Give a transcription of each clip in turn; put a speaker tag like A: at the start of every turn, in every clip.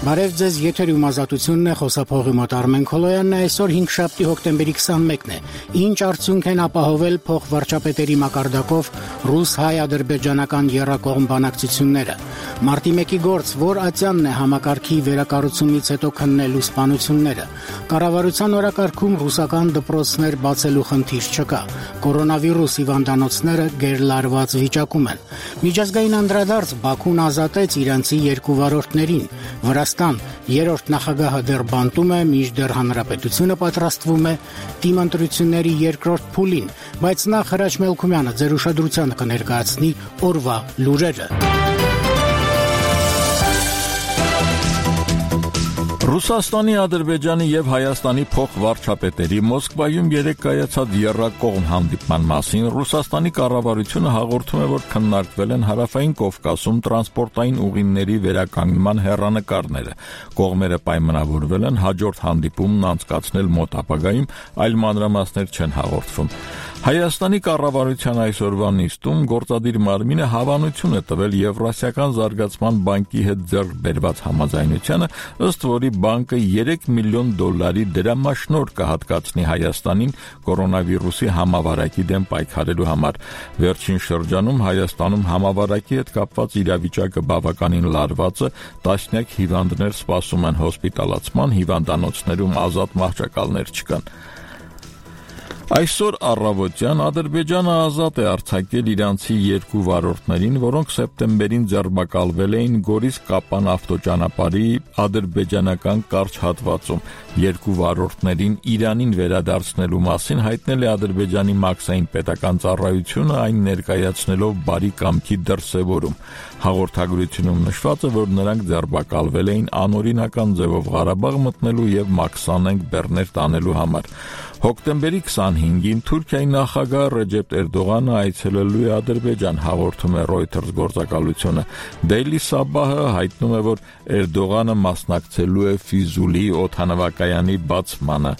A: Բարև ձեզ, եթերում ազատությունն է, խոսափողի մոտ Արմեն Քոլոյանն է, այսօր 5 հոկտեմբերի 21-ն է։ Ինչ արդյունք են ապահովել փոխվարչապետերի մակարդակով ռուս-հայ-ադրբեջանական եռակողմ բանակցությունները։ Մարտի 1-ի գործ, որ ատյանն է համակարգի վերակառուցումից հետո քննելու սպանությունները։ Կառավարության օրակարգում ռուսական դպրոցներ բացելու խնդիր չկա։ Կորոնավիրուս հիվանդանոցները գերլարված վիճակում են։ Միջազգային անդրադարձ Բաքուն ազատեց իրանցի 2 վարորդներին։ Վրաստան երրորդ նախագահը դեռ բանտում է, մինչդեռ հանրապետությունը պատրաստվում է դիմընտրությունների երկրորդ փուլին, բայց նախ Հրաչ Մելքումյանը ձեր ուշադրությանը կներկայացնի օրվա լուրերը։
B: Ռուսաստանի, Ադրբեջանի եւ Հայաստանի փոխվարչապետերի Մոսկվայում երեկ կայացած եռակողմ հանդիպման մասին Ռուսաստանի կառավարությունը հաղորդում է, որ քննարկվել են Հարավային Կովկասում տրանսպորտային ուղիների վերականգնման հեռանկարները։ Կողմերը պայմանավորվել են հաջորդ հանդիպումն անցկացնել մոտ ապագայում, այլ մանրամասներ չեն հաղորդվում։ Հայաստանի կառավարության այսօրվա նիստում գործադիր մարմինը հավանություն է տվել Եվրասիական զարգացման բանկի հետ ձեռք բերված համաձայնությանը, ըստ որի բանկը $3 միլիոն դրամաշնորհ կհատկացնի Հայաստանին կորոնավիրուսի համավարակի դեմ պայքարելու համար։ Վերջին շրջանում Հայաստանում համավարակի հետ կապված իրավիճակը բավականին լարված է, տասնյակ հիվանդներ սպասում են հոսպիտալացման, հիվանդանոցներում ազատ մահճակալներ չկան։ Այսօր առավոտյան Ադրբեջանը ազատ է արձակել իրանցի 2 վարորդներին, որոնք սեպտեմբերին ձերբակալվել էին Գորիս-Կապան ավտոճանապարհի ադրբեջանական կարճ հատվածում։ 2 վարորդներին Իրանին վերադարձնելու մասին հայտնել է Ադրբեջանի մաքսային պետական ծառայությունը, այն ներկայացնելով բարի կամքի դրսևորում։ Հաղորդագրությունում նշված է, որ նրանք ձերբակալվել էին անօրինական ձևով Ղարաբաղ մտնելու եւ մաքսանենգ բեռներ տանելու համար։ Հոկտեմբերի 25-ին Թուրքիայի նախագահ Ռեջեփ Էրդողանը այցելելու է Ադրբեջան, հաղորդում է Reuters գործակալությունը։ Daily Sabah-ը հայտնում է, որ Էրդողանը մասնակցելու է Ֆիզուլի օդանավակայանի բացմանը։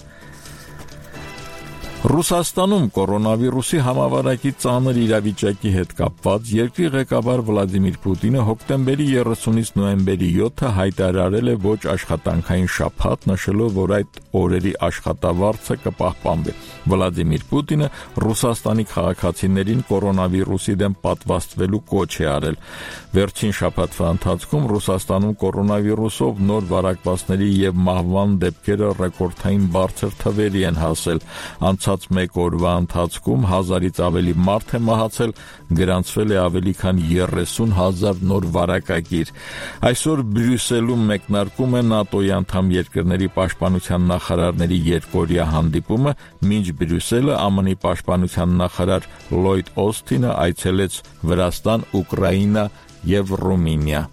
B: Ռուսաստանում կորոնավիրուսի համավարակի ծանր իրավիճակի հետ կապված երկրի ղեկավար Վլադիմիր Պուտինը հոկտեմբերի 30-ից նոյեմբերի 7-ը հայտարարել է ոչ աշխատանքային շաբաթ, նշելով, որ այդ օրերի աշխատավարձը կպահպանվի։ Վլադիմիր Պուտինը Ռուսաստանի քաղաքացիներին կորոնավիրուսի դեմ պատվաստվելու կոչ է արել։ Վերջին շաբաթվա ընթացքում Ռուսաստանում կորոնավիրուսով նոր վարակվածների եւ մահվան դեպքերը ռեկորդային բարձր թվերի են հասել։ Անցած մեկ օրվա ընթացքում 1000-ից ավելի մարդ է մահացել, գրանցվել է ավելի քան 30,000 նոր վարակագիր։ Այսօր Բրյուսելում մեկնարկում է ՆԱՏՕ-ի անդամ երկրների պաշտպանության նախարարների երկօրյա հանդիպումը, մինչ Բրյուսելը ԱՄՆ-ի պաշտպանության նախարար Լլոյդ Օսթինը այցելեց Վրաստան, Ուկրաինա եւ Ռումինիա։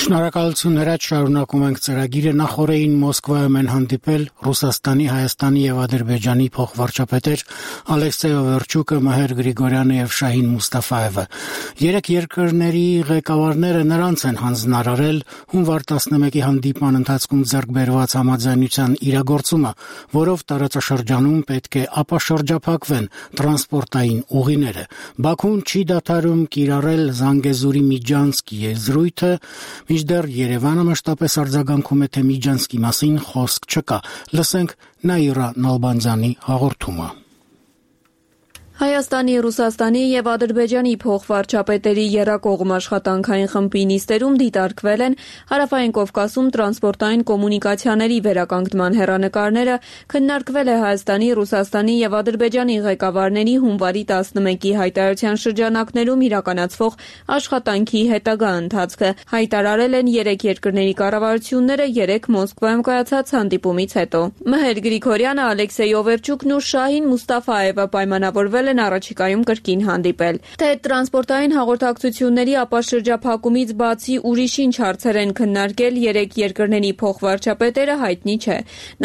A: Շնորհակալություն Հրաչ, շարունակում ենք ծրագիրը։ Նախորդին Մոսկվայում են հանդիպել Ռուսաստանի, Հայաստանի եւ Ադրբեջանի փոխվարչապետեր Ալեքսեյ Օվերչուկը, Մհեր Գրիգորյանը եւ Շահին Մուստաֆաևը։ Երեք երկրների ղեկավարները նրանց են հանձնարարել հունվար 11-ի հանդիպման ընթացքում ձեռք բերված համաձայնության իրագործումը, որով տարածաշրջանում պետք է ապաշրջափակվեն տրանսպորտային ուղիները։ Բաքուն չի դադարում կիրառել Զանգեզուրի Միջանցք եզրույթը, մինչդեռ Երևանը մշտապես արձագանքում է, թե Միջանցքի մասին խոսք չկա։ Լսենք Նաիրա Նալբանդյանի հաղորդումը։
C: Հայաստանի, Ռուսաստանի եւ Ադրբեջանի փոխվարչապետերի եռակողմ աշխատանքային խմբի նիստերում դիտարկվել են Հարավային Կովկասում տրանսպորտային կոմունիկացիաների վերականգնման հեռանկարները, քննարկվել է Հայաստանի, Ռուսաստանի եւ Ադրբեջանի ղեկավարների հունվարի 11-ի հայտարարության շրջանակներում իրականացվող աշխատանքի հետագա ընթացքը։ Հայտարարել են 3 երկրների կառավարությունները 3 Մոսկվայում կայացած հանդիպումից հետո։ Մհեր Գրիգորյանը, Ալեքսեյ Օվերչուկն ու Շահին Մուստաֆաևը պայմանավորվել կրկնել են առաջիկայում կրկին հանդիպել։ Թե տրանսպորտային հաղորդակցությունների ապաշրջափակումից բացի ուրիշ ինչ հարցեր են քննարկել երեք երկրների փոխվարչապետերը, հայտնի չէ։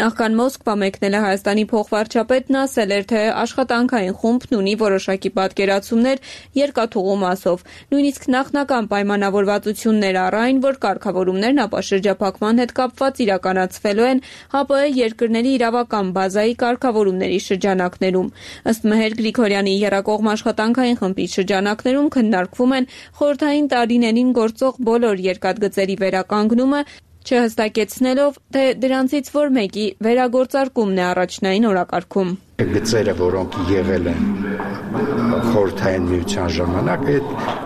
C: Նախքան Մոսկվա մեկնել է Հայաստանի փոխվարչապետն ասել էր, թե աշխատանքային խումբն ունի որոշակի պատկերացումներ երկաթուղու մասով։ Նույնիսկ նախնական պայմանավորվածություններ առ այն, որ կարգավորումներն ապաշրջափակման հետ կապված իրականացվելու են ՀԱՊՀ երկրների իրավական բազայի կարգավորումների շրջանակներում։ Ըստ Մհեր Գրիգորյանի եռակողմ աշխատանքային խմբի շրջանակներում քննարկվում են խորհրդային տարիներին գործող բոլոր երկաթգծերի վերականգնումը, չհստակեցնելով, թե դրանցից որ մեկի վերագործարկումն է առաջնային օրակարգում։
D: Գծերը, որոնք եղել են խորհրդային միության ժամանակ,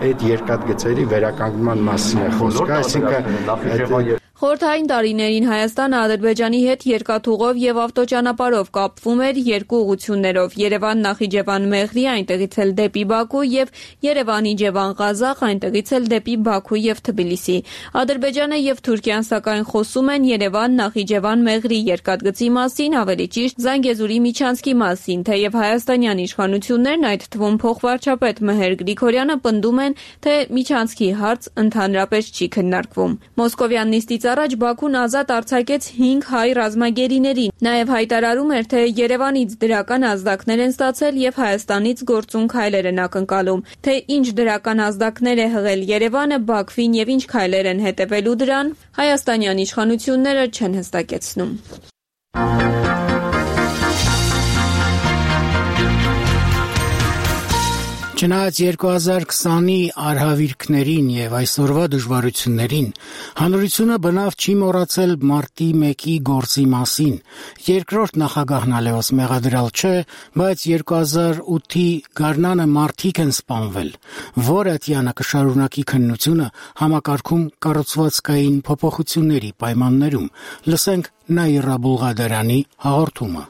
D: այդ երկաթգծերի վերականգնման մասին է խոսքը, այսինքն
C: Խորհրդային տարիներին Հայաստանը Ադրբեջանի հետ երկաթուղով եւ ավտոճանապարհով կապվում էր երկու ուղություններով՝ Երևան-Նախիջևան-Մեղրի, այնտեղից էլ դեպի Բաքու եւ Երևան-Իջևան-Ղազախ, այնտեղից էլ դեպի Բաքու եւ Թբիլիսի։ Ադրբեջանը եւ Թուրքիան սակայն խոսում են Երևան-Նախիջևան-Մեղրի երկաթգծի մասին, ավելի ճիշտ Զանգեզուրի միջանցքի մասին, թեև հայաստանյան իշխանություններն, այդ թվում փոխվարչապետ Մհեր Գրիգորյանը, պնդում են, թե միջանցքի հարց ընդհանրապես չի քննարկվում։ Մոսկովյան նիստից առաջ Բաքուն ազատ արձակեց 5 հայ ռազմագերիներին։ Նաև հայտարարում էր, թե Երևանից դրական ազդակներ են ստացել եւ Հայաստանից գործուն քայլեր են ակնկալում։ Թե ինչ դրական ազդակներ է հղել Երևանը, Բաքվին եւ ինչ քայլեր են հետևելու դրան, հայաստանյան իշխանությունները չեն հստակեցնում։
A: Չնայած 2020-ի արհավիրքներին եւ այսօրվա դժվարություններին, հանրությունը բնավ չի մոռացել մարտի 1-ի գործի մասին։ Երկրորդ նախագահն Լևոս մեղադրյալ չէ, բայց 2008-ի գարնանը մարդիկ են սպանվել։ Որը Տյանը կշարունակի քննությունը համակարգում կառուցվածքային փոփոխությունների պայմաններում։ Լսենք Նաիրա Բուլղադարյանի հաղորդումը։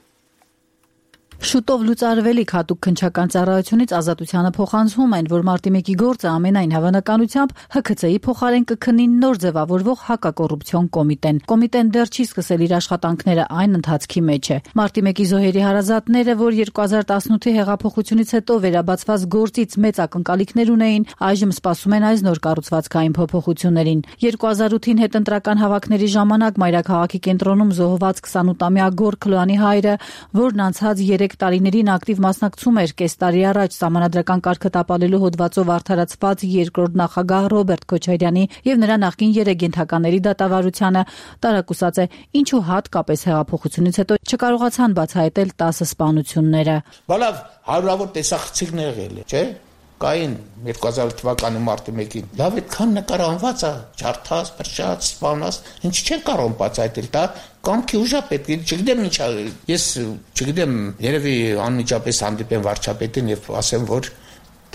E: Շուտով լուծարվելիք հատուկ քննչական ծառայությունից Ազատությանը փոխանցում են, որ մարտի 1-ի գործը ամենայն հավանականությամբ ՀՔՑ-ի փոխարեն կքննի նոր ձևավորվող հակակոռուպցիոն կոմիտեն։ Կոմիտեն դեռ չի սկսել իր աշխատանքները, այն ընթացքի մեջ է։ Մարտի 1-ի զոհերի հարազատները, որ 2018-ի հեղափոխությունից հետո վերաբացված գործից մեծ ակնկալիքներ ունեին, այժմ սպասում են այս նոր կառուցվածքային փոփոխություններին։ 2008-ին հետընտրական հավաքների ժամանակ մայրաքաղաքի կենտրոնում զոհված 28-ամյա Գոր Քլոյանի հայրը, որն անցած 3 տարիներին ակտիվ մասնակցում էր կես տարի առաջ սահմանադրական կարգը տապալելու հոդվածով արդարացված երկրորդ նախագահ Ռոբերտ Քոչարյանի եւ նրա նախկին 3 ենթակաների դատավարությանը, տարակուսած է, ինչու հատկապես հեղափոխությունից հետո չկարողացան բացահայտել 10 սպանությունները։
F: Բալավ հարյուրավոր տեսախցիկներ եղել է, չէ՞։ Կային 2000 թվականի մարտի 1-ին։ Լավ այդքան նկարահանված է, ջարդած, փրշած, սպանած, ինչ չեն կարող բացահայտել, դա կամքի ուժա պետք է, չգիտեմ ինչ, ես չգիտեմ, երևի անմիջապես հանդիպեմ վարչապետին եւ ասեմ, որ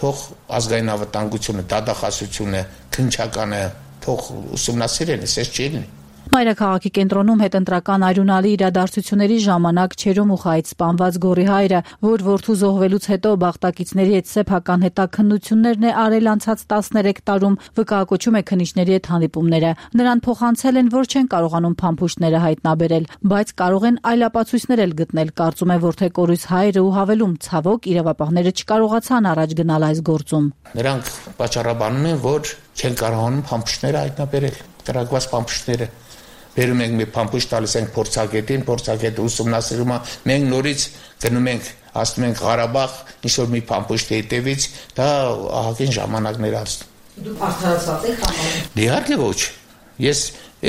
F: թող ազգային անվտանգությունը, դատախազությունը, քննչականը թող ուսումնասիրեն, այսպես չի լինի։
E: Մայրաքաղաքի կենտրոնում հետընտրական արյունալի իրադարձությունների ժամանակ Չերոմուխայից սպանված Գորի հայրը, որ որդու զոհվելուց հետո բախտակիցների հետ սեփական հետաքննություններն է արել անցած 13 տարում, վկայակոչում է քննիչների հետ հանդիպումները։ Նրան փոխանցել են, որ չեն կարողանում փամփուշտները հայտնաբերել, բայց կարող են այլ ապացույցներ էլ գտնել, կարծում է որդեկորույս հայրը ու հավելում, ցավոք իրավապահները չկարողացան առաջ գնալ այս գործում։
F: Նրանք պատճառաբանում են, որ չեն կարողանում փամփուշտները հայտնաբերել, տրագված փամփուշտները։ Վերում ենք մի փամփուշտ տալիս ենք փորձագետին, փորձագետը ուսումնասիրում է, մենք նորից գնում ենք, ասում ենք Ղարաբաղ, ինչ-որ մի փամփուշտի հետևից, դա ահագին ժամանակներ անցնում։
E: Դուք արդարացած եք համարում։
F: Իհարկե ոչ։ Ես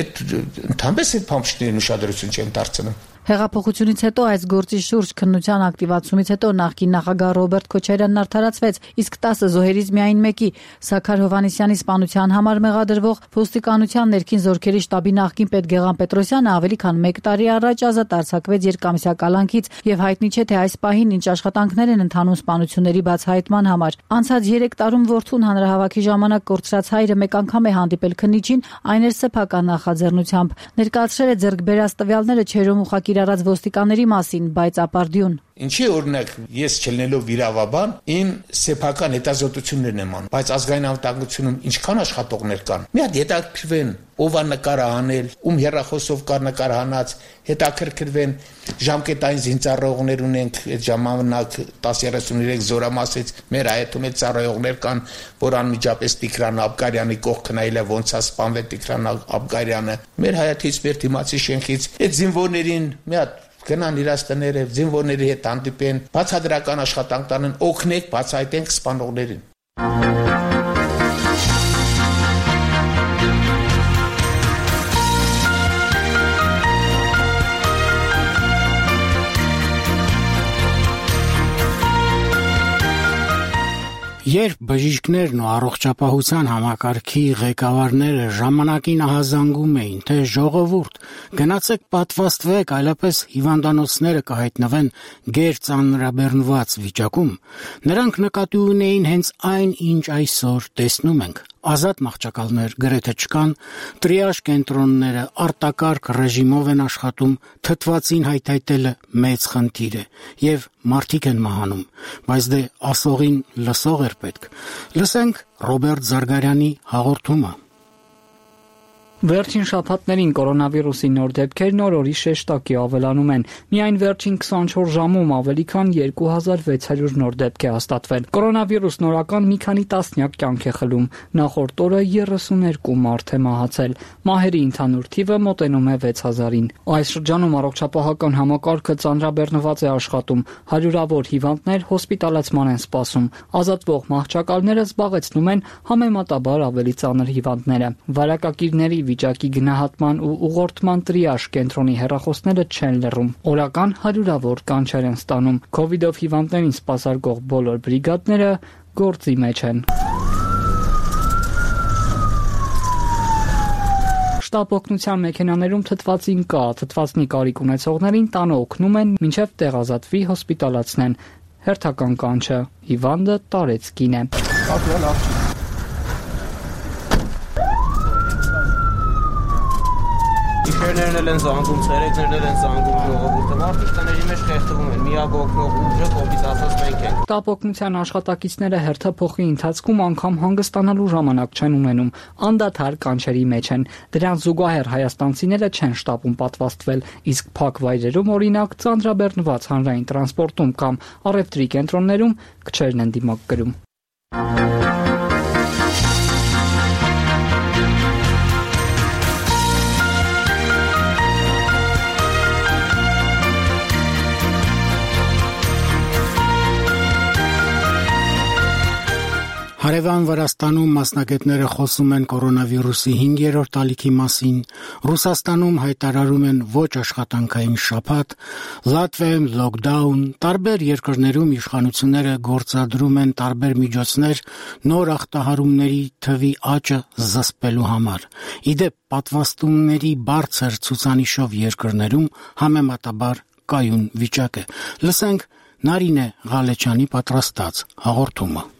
F: ընդհանրապես այդ փամփուշտներին ուշադրություն չեմ դարձնում։
E: Հեղափոխությունից հետո այս գործի շուրջ քննության ակտիվացումից հետո նախկին նախագահ Ռոբերտ Քոչարյանն արդարացվեց, իսկ 10 զոհերից միայն մեկի՝ Սաքար Հովհաննիսյանի սպանության համար մեղադրվող ոստիկանության ներքին զորքերի շտաբի նախկին պետ Գեղամ Պետրոսյանը ավելի քան 1 տարի առաջ ազատ արձակվեց երկամսյա կալանքից եւ հայտնի չէ թե այս պահին ինչ աշխատանքներ են ընթանում սպանությունների բացահայտման համար։ Անցած 3 տարում որդուն հանրահավաքի ժամանակ կորցրած հայրը մեկ անգամ է հանդիպել քննիչին, այն էր սեփական նախաձեռնությամբ։ Ներկայացրել է ձեռք բերած տվյալները Չերոմուխակի իրարած ոստիկանների մասին, բայց ապարդյուն։
F: Ինչի օրինակ ես չլինելով վիրավաբան, իմ սեփական հետազոտություններն եմ անում, բայց ազգային անվտանգությունում ինչքան աշխատողներ կան։ Մի հատ հետաքրքրվեն, ով է նկարը հանել, ում հեռախոսով կար նկարահանած, հետաքրքրվեն, ժամկետային զինծառայողներ ունենք, այդ ժամանակ 10-33 զորամասից մեր հայտում էլ ծառայողներ կան, որ անմիջապես Տիգրան Աբգարյանի կողքն այլ է ոնց է սպանվել Տիգրան Աբգարյանը։ Մեր հայաթից մեր դիմացի շենքից այդ զինվորներին մի հատ գնան իրաց տները, զինվորների հետ հանդիպեն, բացադրական աշխատանք տանեն, օգնենք, բացահայտենք սպանողներին։
A: Երբ բժիշկներն ու առողջապահության համակարգի ղեկավարները ժամանակին ահազանգում էին, թե ժողովուրդ, գնացեք պատվաստվեք, այլապես հիվանդանոցները կհայտնվեն գերծանրաբեռնված վիճակում, նրանք նկատի ունեին հենց այն, ինչ այսօր տեսնում ենք։ Ազատ մահճակալներ գրեթե չկան, տրիաժ կենտրոնները արտակարգ ռեժիմով են աշխատում, թթվածին հայթայթելը մեծ խնդիր է, եւ մարդիկ են մահանում, բայց դե ասողին լսող էր պետք։ Լսենք Ռոբերտ Զարգարյանի հաղորդումը։
G: Վերջին շաբաթներին կորոնավիրուսի նոր դեպքերն օր-օրի շեշտակի ավելանում են։ Միայն վերջին 24 ժամում ավելի քան 2600 նոր դեպք է հաստատվել։ Կորոնավիրուս նորական մի քանի տասնյակ կյանք է խլում։ Նախորդ օրը 32 մարդ է մահացել։ Մահերի ընդհանուր թիվը մոտենում է 6000-ին։ Այս շրջանում առողջապահական համակարգը ծանրաբեռնված է աշխատում։ Հարյուրավոր հիվանդներ հոսպիտալացման են սպասում։ Ազատվող մահճակալները զբաղեցնում են համեմատաբար ավելի ծանր հիվանդները։ Վարակակիրների վիճակի գնահատման ու ուղղորդման տրիաժ կենտրոնի հեռախոսները չեն լռում։ Օրական հարյուրավոր կանչեր են ստանում։ Քովիդով հիվանդներին սպասարկող բոլոր բրիգադները գործի մեջ են։ Շտապ օգնության մեքենաներում թթվածին կա, թթվածնի կարիք ունեցողներին տանը օգնում են, մինչև տեղազատվի հոսպիտալացնեն։ Հերթական կանչը՝ հիվանդը տարեցկին է։
H: Գիշերներն են զանգում, ցերեկներն են զանգում ժողովուրդը, մարդիկ տների մեջ խեղդվում են, միակ օգնող ուժը կոպիտ ասած մենք ենք։
G: Շտապ օգնության աշխատակիցները հերթափոխի ընթացքում անգամ հանգստանալու ժամանակ չեն ունենում, անդադար կանչերի մեջ են։ Դրան զուգահեռ հայաստանցիները չեն շտապում պատվաստվել, իսկ փակ վայրերում, օրինակ, ծանրաբեռնված հանրային տրանսպորտում կամ առևտրի կենտրոններում քչերն են դիմակ կրում։
A: Հարևան Վրաստանում մասնագետները խոսում են կորոնավիրուսի 5-րդ ալիքի մասին, Ռուսաստանում հայտարարում են ոչ աշխատանքային շաբաթ, Լատվիայում լոկդաուն, տարբեր երկրներում իշխանությունները գործադրում են տարբեր միջոցներ նոր ախտահարումների թվի աճը զսպելու համար։ Իդեպ պատվաստումների բարձր ցուցանիշով երկրներում համեմատաբար կայուն վիճակ է։ Լսենք Նարինե Ղալեչյանի պատրաստած հաղորդումը։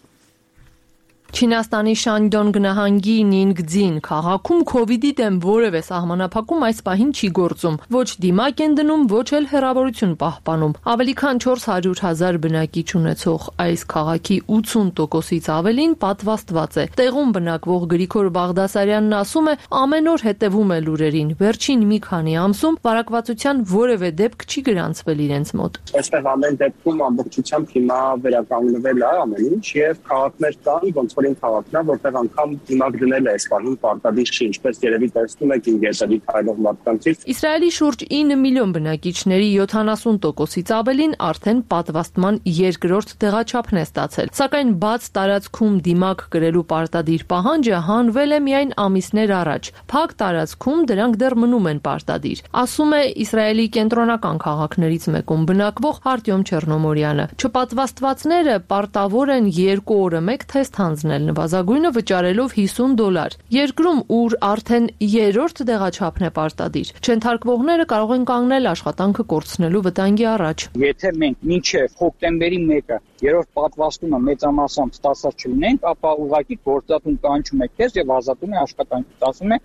I: Չինաստանի Շանդոն նահանգի Նինգձին քաղաքում քովիդի դեմ որևէ սահմանափակում այս պահին չի գործում։ Ոչ դիմակ են դնում, ոչ էլ հեռավորություն պահպանում։ Ավելի քան 400,000 բնակիչ ունեցող այս քաղաքի 80%-ից ավելին պատվաստված է։ Տեղում բնակվող Գրիգոր Բաղդասարյանն ասում է, ամեն օր հետևում է լուրերին։ Վերջին մի քանի ամսում վարակվածության որևէ դեպք չի գրանցվել իրենց մոտ։
J: Այստեղ ամեն դեպքում ամբողջությամբ հիմա վերականգնվել է ամեն ինչ եւ քաղաքներ կան, ոնց քաղաքն է, որտեղ անգամ դիմակ դնել է այս բանում պարտադիր չի, ինչպես երևի տեսնում եք ինգերտերի քայլող մարդկանցից։
I: Իսրայելի շուրջ 9 միլիոն բնակիչների 70%-ից ավելին արդեն պատվաստման երկրորդ տեղաչափն է ստացել։ Սակայն բաց տարածքում դիմակ կրելու պարտադիր պահանջը հանվել է միայն ամիսներ առաջ։ Փակ տարածքում դրանք դեռ մնում են պարտադիր, ասում է Իսրայելի կենտրոնական քաղաքներից մեկում բնակվող Արտյոմ Չեռնոմորյանը։ Չպատվաստվածները պարտավոր են 2 օրը մեկ թեստ հանձնել, նվազագույնը վճարելով $50։ Երկրում, ուր արդեն 3-րդ տեղաչափն է պարտադիր, չընթարկվողները կարող են կանգնել աշխատանքը կորցնելու վտանգի առաջ։
K: Եթե մենք մինչև հոկտեմբերի 1-ը երրորդ պատվաստումը մեծամասամբ ստացած չլինենք, ապա ուղղակի գործատուն կանչում է քեզ եւ ազատում է աշխատանքից, ասում է,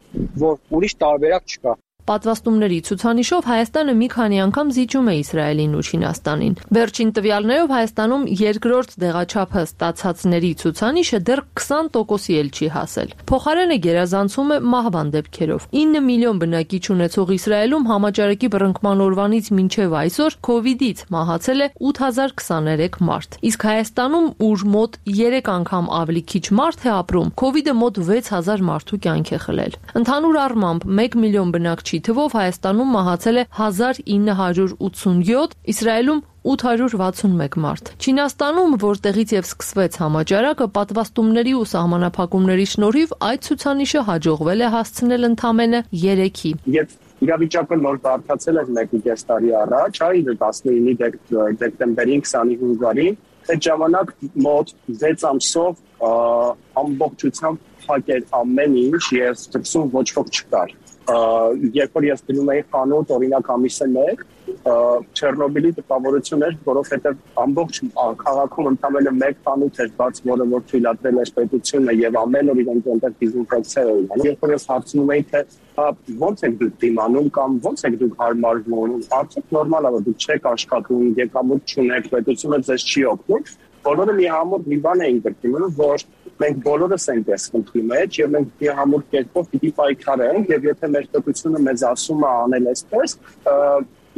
K: որ ուրիշ տարբերակ չկա։
I: Պատվաստումների ցուցանիշով Հայաստանը մի քանի անգամ զիջում է Իսրայելին ու Չինաստանին։ Վերջին տվյալներով Հայաստանում երկրորդ դեղաչափը ստացածների ցուցանիշը դեռ 20%-ի էլ չի հասել։ Փոխարենը գերազանցում է մահվան դեպքերով։ 9 միլիոն բնակիչ ունեցող Իսրայելում համաճարակի բռնկման օրվանից մինչև այսօր COVID-ից մահացել է 8023 մարդ։ Իսկ Հայաստանում, ուր մոտ 3 անգամ ավելի քիչ մարդ է ապրում, COVID-ը մոտ 6000 մարդու կյանք է խլել։ Ընդհանուր առմամբ 1 միլիոն բնակչի թվով Հայաստանում մահացել է 1987, Իսրայելում 861 մարդ։ Չինաստանում, որտեղից եւ սկսվեց համաճարակը, պատվաստումների ու սահմանափակումների շնորհիվ այդ ցուցանիշը հաջողվել է հասցնել ընդամենը 3-ի։
J: Երբ իրավիճակը նոր բարդացել էր 1.5 տարի առաջ, 19 դեկտեմբերին 25-ին, այդ ժամանակ մոտ 6 ամսով ամբողջությամբ փակել ամեն ինչ եւ դրսում ոչ ոք չկար։ Երբ որ ես գնում էի խանութ, օրինակ ամիսը 1, Չեռնոբիլի տպավորություն էր, որովհետեւ ամբողջ քաղաքում ընդամենը 1 խանութ էր բաց, որը որ թույլատրել էր պետությունը եւ ամեն օր իրենք այնտեղ դիզինֆեկցիա էին։ Երբ որ ես հարցնում էի, թե ո՞նց եք դուք դիմանում կամ ո՞նց եք դուք հարմարվում, արդյոք նորմալ է, որ դուք չեք աշխատում, եկամուտ չունեք, պետությունը ձեզ չի օգնում։ Բոլորը մի համոտ մի բան էին գրկում, որ մենք բոլորս ենք այս խնդրի մեջ եւ մենք մի համոտ կերպով պիտի պայքարենք եւ եթե մեր պետությունը մեզ ասում է անել այսպես,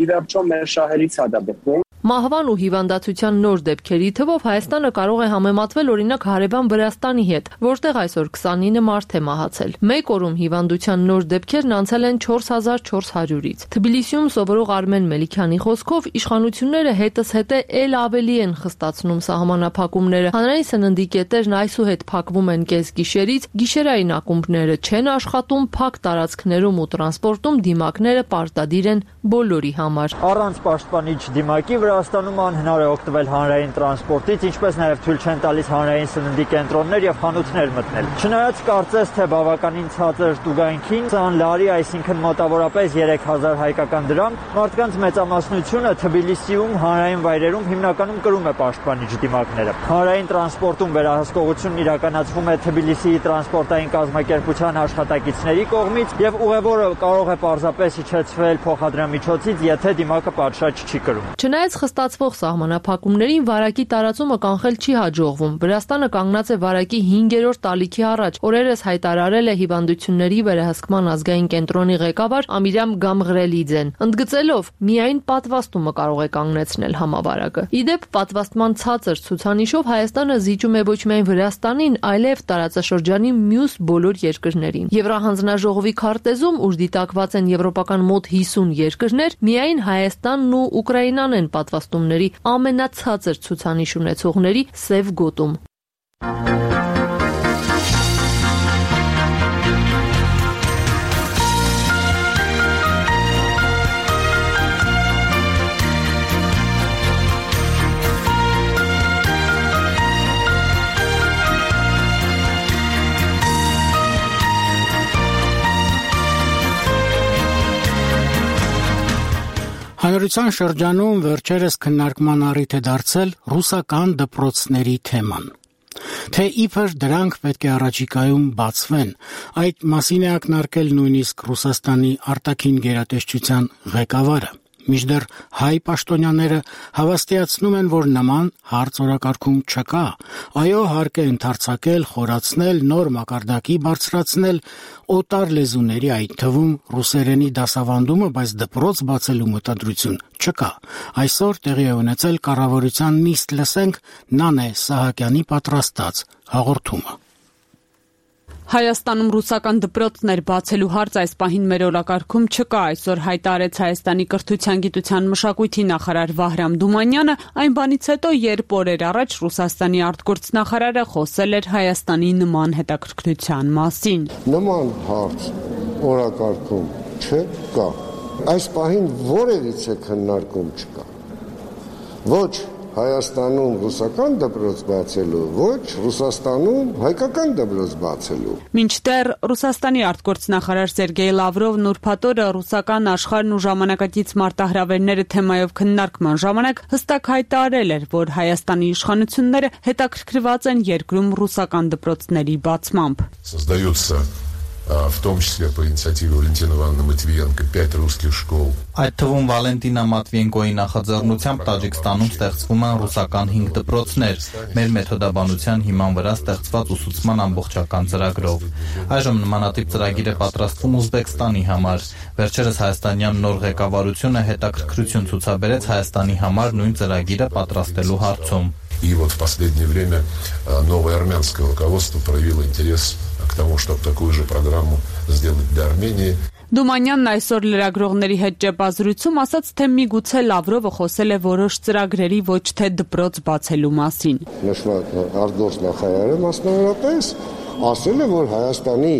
J: ի վերջո մեր շահերից է դա բխում։
I: Մահվան ու հիվանդացության նոր դեպքերի թվով Հայաստանը կարող է համեմատվել օրինակ հարևան Վրաստանի հետ, որտեղ այսօր 29 մարդ է մահացել։ Մեկ օրում հիվանդության նոր դեպքերն անցել են 4400-ից։ Թբիլիսիում սովորող Արմեն Մելիքյանի խոսքով իշխանությունները հետզհետե ել ավելի են խստացնում սահմանափակումները։ Հանրային սննդի կետերն այսուհետ փակվում են կեսգիշերից, գիշերային ակումբները չեն աշխատում, փակ տարածքներում ու տրանսպորտում դիմակները պարտադիր են բոլորի համար։
L: Առանց պաշտպանիչ դիմակի Վրաստանում անհնար է օգտվել հանրային տրանսպորտից, ինչպես նաև թույլ չեն տալիս հանրային սննդի կենտրոններ եւ խանութներ մտնել։ Չնայած կարծես թե բավականին ցածր տուգանքին, սան լարի, այսինքն մոտավորապես 3000 հայկական դրամ, մարդկանց մեծամասնությունը Թբիլիսիում հանրային վայրերում հիմնականում կրում է պաշտպանիչ դիմակները։ Հանրային տրանսպորտում վերահսկողությունն իրականացվում է Թբիլիսիի տրանսպորտային կազմակերպության աշխատակիցների կողմից եւ ուղևորը կարող է պարզապես իջեցվել փոխադրամիջոցից, եթե դիմակը պատշաճ չի կրում։
I: Չնայած խստացվող սահմանափակումներին վարակի տարածումը կանխել չի հաջողվում։ Վրաստանը կանգնած է վարակի 5-րդ ալիքի առաջ։ Օրերս հայտարարել է հիվանդությունների վերահսկման ազգային կենտրոնի ղեկավար Ամիրամ Գամղրելիձեն, ընդգծելով միայն պատվաստումը կարող է կանգնեցնել համավարակը։ Իդեպ պատվաստման ցածր ցուցանիշով Հայաստանը զիջում է ոչ միայն Վրաստանին, այլև տարածաշրջանի մյուս բոլոր երկրներին։ Եվրահանձնաժողովի քարտեզում, ուր դիտակված են եվրոպական մոտ 50 երկրներ, միայն Հայաստանն ու Ուկրաինան են պատվաստումների ամենացածր ցուցանիշ ունեցողների սև գոտում։
A: Հանրության շրջանում վերջերս քննարկման առիթ է դարձել ռուսական դպրոցների թեման։ Թե իբր դրանք պետք է առաջիկայում բացվեն, այդ մասին է ակնարկել նույնիսկ Ռուսաստանի արտաքին գերատեսչության ղեկավարը։ Մինչդեռ հայ պաշտոնյաները հավաստիացնում են, որ նման հարց օրակարգում չկա, այո, հարկ է ընդարձակել, խորացնել, նոր մակարդակի բարձրացնել օտար լեզուների, այդ թվում ռուսերենի դասավանդումը, բայց դպրոց բացելու մտադրություն չկա։ Այսօր տեղի է ունեցել կառավարության նիստ, լսենք Նանե Սահակյանի պատրաստած հաղորդումը։
M: Հայաստանում ռուսական դպրոցներ բացելու հարց այս պահին մեր օրակարգում չկա, այսօր հայտարարեց Հայաստանի կրթության, գիտության, մշակույթի նախարար Վահրամ Դումանյանը, այն բանից հետո, երբ օրեր առաջ Ռուսաստանի արտգործնախարարը խոսել էր Հայաստանի նման հետաքրքրության մասին։
N: Նման հարց օրակարգում չկա։ Այս պահին որևիցե քննարկում չկա։ Ոչ Հայաստանում ռուսական դպրոց բացելու, ոչ Ռուսաստանում հայկական դպրոց բացելու։
M: Մինչդեռ Ռուսաստանի արտգործնախարար Սերգեյ Լավրովն ուրբաթ օրը ռուսական աշխարհն ու ժամանակակից մարտահրավերները թեմայով քննարկման ժամանակ հստակ հայտարարել էր, որ Հայաստանի իշխանությունները հետաքրքրված են երկրում ռուսական դպրոցների բացմամբ։
O: Создается в том числе по инициативе Валентины Ивановны Матвиенко 5 русских школ.
P: Այդ թվում Վալենտինա Մատվիենկոյի նախաձեռնությամբ Տաջիկստանում ստեղծվում են ռուսական 5 դպրոցներ, մեր մեթոդաբանության հիման վրա ստեղծված ուսուցման ամբողջական ծրագրով։ Այժմ նմանատիպ ծրագիր է պատրաստվում Ուզբեկստանի համար։ Վերջերս հայաստանյան нոր ղեկավարությունը հետաքրքրություն ցուցաբերեց Հայաստանի համար նույն ծրագիրը պատրաստելու հարցում։
O: И вот в последнее время новое армянское руководство проявило интерес к тому, чтобы такую же программу сделать для Армении.
M: Դումանյանն այսօր լրագրողների հետ ճեպազրույցում ասաց, թե միգուցե Լավրովը խոսել է որոշ ծրագրերի ոչ թե դպրոց բացելու մասին։
N: Նշված արտգործ նախարարը մասնավորապես ասել է, որ Հայաստանի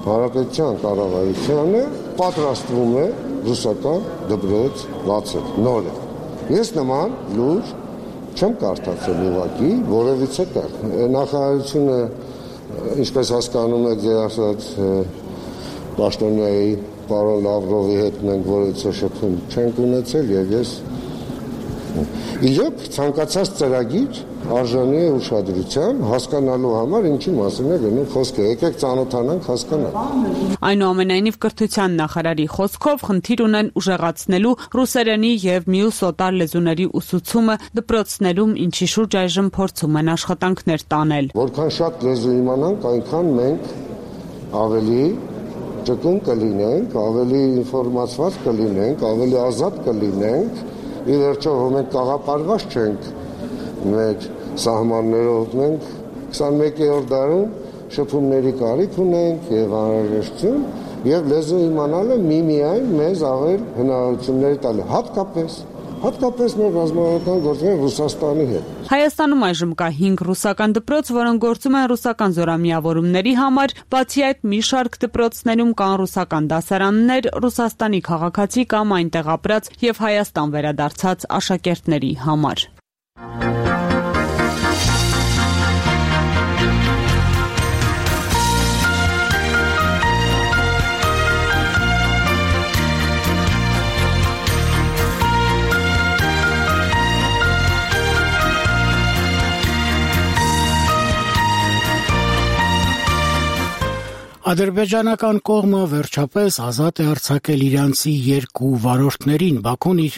N: Հանրապետության կառավարությունը պատրաստվում է ռուսական դպրոց բացել նորը։ Ես նման լուր չեմ կարդացել ուղղակի, որևիցե տեղ։ Նախարարությունը, ինչպես հասկանում եք, ձեր ասած Պաշտոնյայի պարոն Լավրովի հետ մենք որևիցե շփում չենք ունեցել եւ ես իհարկե ցանկացած ծրագիր արժանի է ուշադրության հասկանալու համար ինչի մասին է գնում խոսքը եկեք ծանոթանանք հասկանանք
M: Այնուամենայնիվ կրթության նախարարի խոսքով խնդիր ունեն ուժեղացնելու ռուսերենի եւ մյուս օտար լեզուների ուսուցումը դպրոցներում ինչի շուրջ այժմ փորձում են աշխատանքներ տանել
N: Որքան շատ լեզու իմանանք այնքան մենք ավելի ճկուն կլինենք, ավելի ինֆորմացված կլինենք, ավելի ազատ կլինենք, ի վերջո մենք կաղապարված չենք մեր սահմաններով, մենք 21-րդ դարում շփումների կարիք ունենք եւ անհրաժեշտություն եւ լեզու իմանալը միմիայն մեզ ավել հնարավորություններ տալու հատկապես մեր ռազմավարական գործերը Ռուսաստանի հետ
M: Հայաստանում այժմ կա 5 ռուսական դպրոց, որոնք գործում են ռուսական զորամիավորումների համար, բացի այդ մի շարք դպրոցներում կան ռուսական դասարաններ, Ռուսաստանի քաղաքացի կամ այնտեղ ապրած եւ Հայաստան վերադարձած աշակերտների համար։
A: Ադրբեջանական կողմը վերջապես ազատ է արձակել իրանցի 2 վարորդներին, Բաքուն իր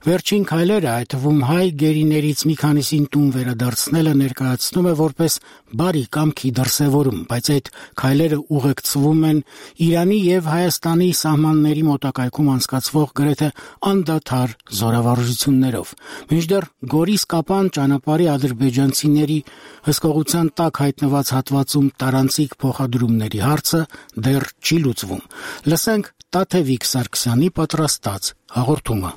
A: վերջին քայլերը, այդ թվում հայ գերիներից մի քանիսին տուն վերադարձնելը ներկայացնում է որպես բարի կամքի դրսևորում, բայց այդ քայլերը ուղեկցվում են Իրանի եւ Հայաստանի սահմանների մոտակայքում անցկացվող գրեթե անդադար զորավարժություններով։ Մինչդեռ Գորիս-Կապան ճանապարհի ադրբեջանցիների հսկողության տակ հայտնված հատվածում տարանցիկ փոխադրումների հարցը դեռ չի լուծվում։ Լսենք Տաթևիկ Սարգսյանի պատրաստած հաղորդումը։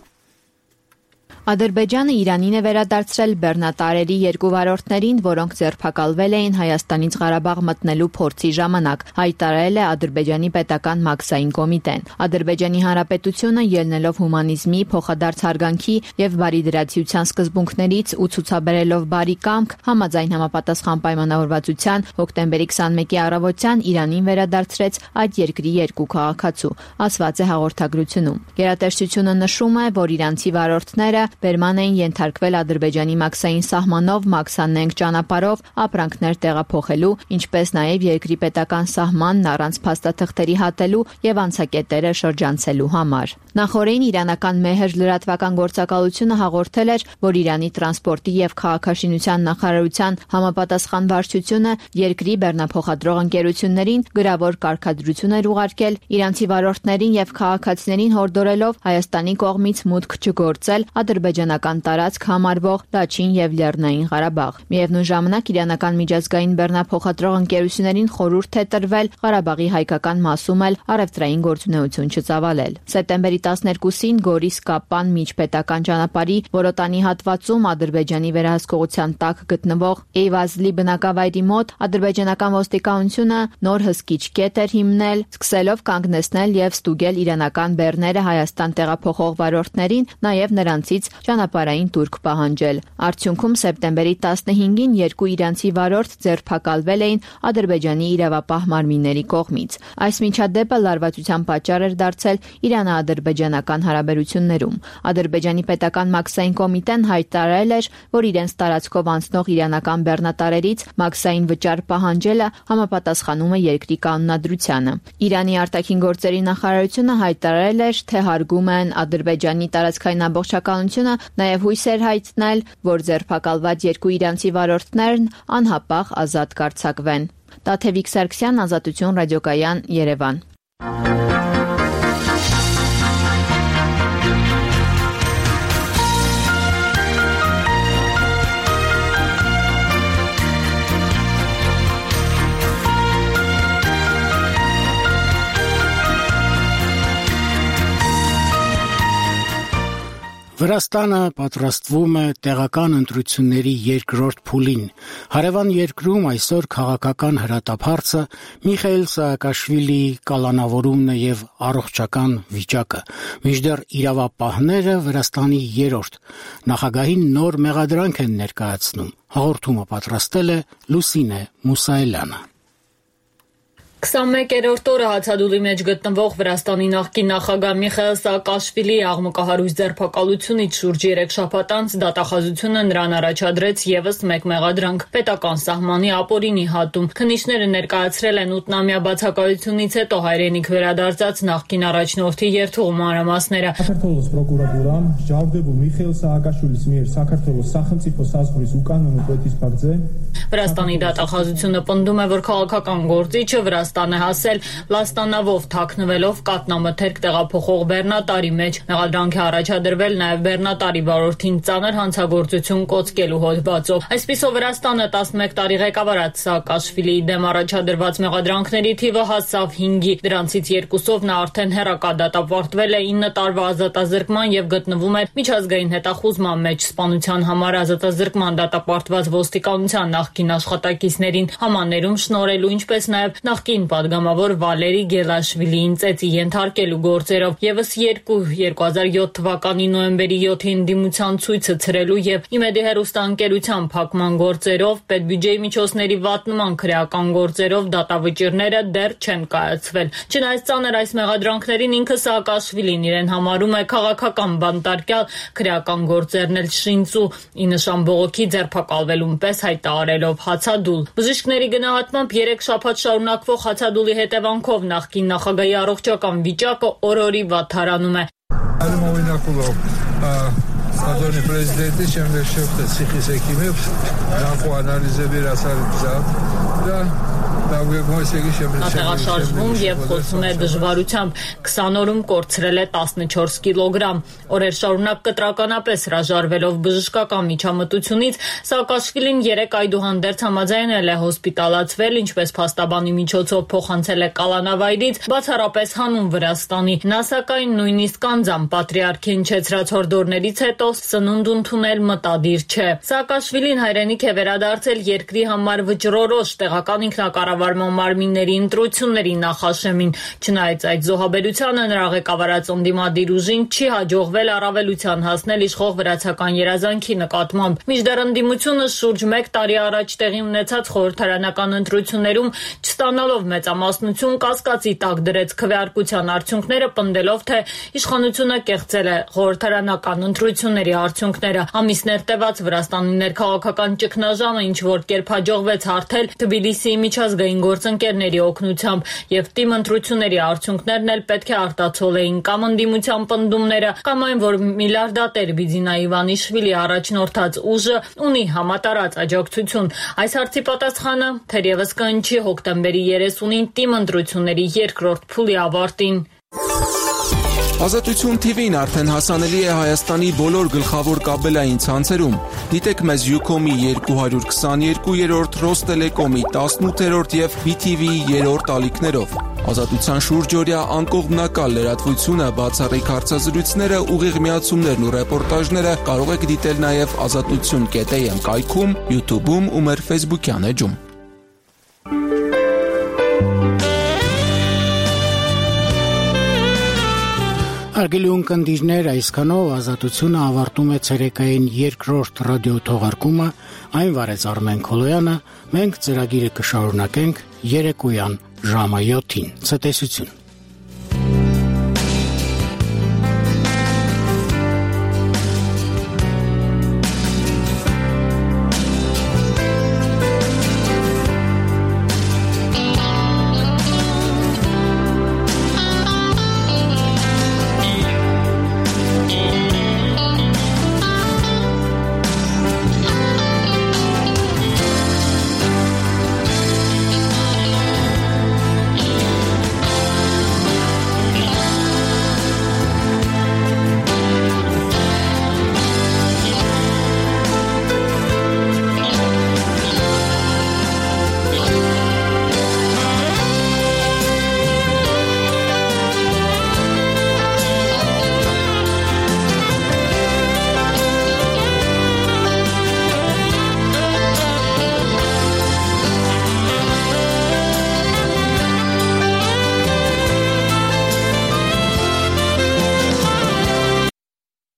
Q: Ադրբեջանը Իրանին է վերադարձրել բեռնատարերի 2 վարորդներին, որոնք ձերբակալվել էին Հայաստանից Ղարաբաղ մտնելու փորձի ժամանակ, հայտարարել է Ադրբեջանի պետական մաքսային կոմիտեն։ Ադրբեջանի Հանրապետությունը ելնելով հումանիզմի, փոխադարձ հարգանքի եւ բարիդրացիության սկզբունքներից ու ցուցաբերելով բարի կամք, համաձայն համապատասխան պայմանավորվածության հոկտեմբերի 21-ի առավոտյան Իրանին վերադարձրեց այդ երկրի 2 քաղաքացու, ասված է հաղորդագրությունում։ Գերատեսչությունը նշում է, որ իրանցի վարորդները Բերման էին ենթարկվել Ադրբեջանի մաքսային սահմանով մաքսանենգ ճանապարհով ապրանքներ տեղափոխելու, ինչպես նաև երկրի պետական սահմանն առանց փաստաթղթերի հատելու եւ անցակետերը շրջանցելու համար։ Նախորդին իրանական Մեհր լրատվական գործակալությունը հաղորդել էր, որ Իրանի տրանսպորտի եւ քաղաքաշինության նախարարության համապատասխան վարչությունը երկրի բեռնափոխադրող ընկերություններին գրավոր կարգադրություն էր ուղարկել իրանցի վարորդներին եւ քաղաքացիներին հորդորելով Հայաստանի կողմից մուտք չգործել ադրբեջանական տարածք համարվող Լաչին եւ Լեռնային Ղարաբաղ։ Միևնույն ժամանակ իրանական միջազգային բեռնափոխադրող ընկերություններին խորհուրդ է տրվել Ղարաբաղի հայկական մասում էլ առևտրային գործունեություն չծավալել։ Սեպտեմբերի 12-ին Գորիս-Կապան միջպետական ճանապարհի Որոտանի հատվածում Ադրբեջանի վերահսկողության տակ գտնվող Էյվազլի բնակավայրի մոտ ադրբեջանական ոստիկանությունը նոր հսկիչ կետ էր հիմնել, սկսելով կանգնեցնել եւ ստուգել իրանական բեռները Հայաստան տեղափոխող վարորդներին, նաեւ նրանցից ճանապարհային տուրք պահանջել։ Արդյունքում սեպտեմբերի 15-ին երկու իրանցի վարորդ ձերբակալվել էին Ադրբեջանի իրավապահ մարմինների կողմից։ Այս միջադեպը լարվածության պատճառ էր դարձել Իրано-ադրբեջանական հարաբերություններում։ Ադրբեջանի պետական մաքսային կոմիտեն հայտարարել էր, որ իրենց տարածքով անցնող իրանական բեռնատարերից մաքսային վճար պահանջելը համապատասխանում է երկրի կանոնադրությանը։ Իրանի արտաքին գործերի նախարարությունը հայտարարել էր, թե հարգում են Ադրբեջանի տարածքային ամբողջականությունը, նաև հույս էր հայտնել, որ ձերբակալված երկու իրանցի վարորդներն անհապաղ ազատ կարձակվեն։ Տաթևիկ Սարգսյան, Ազատություն ռադիոկայան, Երևան։
A: Վրաստանը պատրաստվում է տեղական ընտրությունների երկրորդ փուլին։ Հարևան երկրում այսօր քաղաքական հրատապարծը Միխայիլ Սաակաշվիլիի կալանավորումն է եւ առողջական վիճակը։ Մինչդեռ իրավապահները Վրաստանի երրորդ նախագահին նոր մեղադրանք են ներկայացնում։ Հաղորդումը պատրաստել է Լուսինե Մուսայելյանը։
I: 21-րդ օրը հացադուլի մեջ գտնվող Վրաստանի նախկին նախագահ Միխայիլ Սաակաշվիլիի աղմկահարույց ձերբակալությունից շուրջ 3 շաբաթ անց դատախազությունը նրան առաջադրեց եւս մեկ մեղադրանք՝ պետական սահմանի ապօրինի հատում։ Քննիչները ներկայացրել են 8-ամյա բացակայությունից հետո հայրենիք վերադարձած նախկին առաջնորդի երթուղու մանրամասները։
R: Საქართველოს პროკურատურამ ჯალდებულ Միխայիլ Սաակաշვილის მიერ საქართველოს სახელმწიფო საზღვრის უკანონო კვეთის ფაქტზე
I: Վրաստանի դատախազությունը պնդում է, որ քաղաքական գործիչը Վրաստան է հասել լաստանավով թաքնվելով կատնամթերք տեղափոխող բեռնատարի մեջ։ Մեղադրանք է առաջադրվել նաև բեռնատարի վարորդին ծանր հանցագործություն կոծկելու հոդվածով։ Այսպիսով Վրաստանը 11 տարի ղեկավարած Սաակաշվիլիի դեմ առաջադրված մեղադրանքների թիվը հասավ 5-ի, դրանցից 2-ով նա արդեն հեռակադատապարտվել է 9 տարվա ազատազրկման եւ գտնվում է միջազգային հետախուզման մեջ։ Սպանության համար ազատազրկման դատապարտված ոստիկանության նախկին աշխատակիցներին համաներում շնորհելու, ինչպես նաև նախկին падգամավոր Վալերի Գելաշվիլիին ծեծի ենթարկելու գործերով եւս 2007 թվականի նոյեմբերի 7-ին դիմության ցույցը ցրելու եւ Իմեդի հեռուստաընկերության փակման գործերով, պետբյուջեի միջոցների վատնման քրեական գործերով դատավճիռները դեռ չեն կայացվել։ Չնայած ծանր այս մեղադրանքներին ինքը Սաակաշվիլին իրեն համարում է քաղաքական բանտարկյալ, քրեական գործերն էլ շինծու ի նշան բողոքի ձերբակալվելուն պես հայտարարելով հացադուլ։ Բժիշկների գնահատմամբ 3 շաբաթ շարունակվող հացադուլի հետևանքով նախկին նախագահի առողջական վիճակը օր-օրի վատթարանում է։
S: Adoni prezidenti şimdi şefte sıkı sekimi nakı analize biraz harcayacak da
I: Ատեղաշարժվում եւ խոսում է դժվարությամբ 20 օրում կորցրել է 14 կիլոգրամ։ Օրեր շարունակ կտրականապես հրաժարվելով բժշկական միջամտությունից Սաակաշվիլին 3 այդուհանդերձ համաձայնել է հոսպիտալացվել, ինչպես փաստաբանի միջոցով փոխանցել է կալանավայրից, բացառապես հանուն Վրաստանի։ Նա սակայն նույնիսկ անձամբ պատրիարքին չեցրած հորդորներից հետո սնունդ ընդունել մտադիր չէ։ Սաակաշվիլին հայրենիք է վերադարձել երկրի համար վճռորոշ տեղական ինքնակառավարման մարմինների ընտրությունների նախաշեմին։ Չնայած այդ զոհաբերությանը նրա ղեկավարած ընդդիմադիր ուժին չի հաջողվել առավելության հասնել իշխող վրացական երազանքի նկատմամբ։ Մինչդեռ ընդդիմությունը շուրջ 1 տարի առաջ տեղի ունեցած խորհրդարանական ընտրություններում չստանալով մեծամասնություն կասկածի տակ դրեց քվեարկության արդյունքները, պնդելով, թե իշխանությունը կեղծել է խորհրդարանական ընտրությունների արդյունքները։ Ամիսներ տևած Վրաստանի ներքաղաքական ճգնաժամը ինչ որ կերպ հաջողվեց հարթել Թբիլիսիի միջազգային գործընկերների օգնությամբ, եւ թիմ ընտրությունների արդյունքներն էլ պետք է արտացոլեին կամ ընդդիմության պնդումները, կամ այն, որ միլիարդատեր Բիձինա Իվանիշվիլի առաջնորդած ուժը ունի համատարած աջակցություն։ Այս հարցի պատասխանը թերևս կհնչի հոկտեմբերի 30-ին թիմ ընտրությունների երկրորդ փուլի ավարտին։
T: Ազատություն TV-ն արդեն հասանելի է Հայաստանի բոլոր գլխավոր կաբելային ցանցերում։ Դիտեք մեզ Ucom-ի 222-րդ, Ռոստելեկոմի 18-րդ եւ BTV-ի 3-րդ ալիքներով։ Ազատության շուրջօրյա անկողմնակալ լրատվությունը, բացառիկ հարցազրույցները, ուղիղ միացումներն ու ռեպորտաժները կարող եք դիտել նաեւ azatutsun.am կայքում, YouTube-ում ու մեր Facebook-յան էջում։
A: Հարգելի ունկնդիրներ, այսքանով Ազատությունը ավարտում է ցերեկային երկրորդ ռադիոթողարկումը, այն վարեց Արմեն Քոլոյանը, մենք ծրագիրը կշարունակենք երեկոյան ժամը 7-ին։ Ցտեսություն։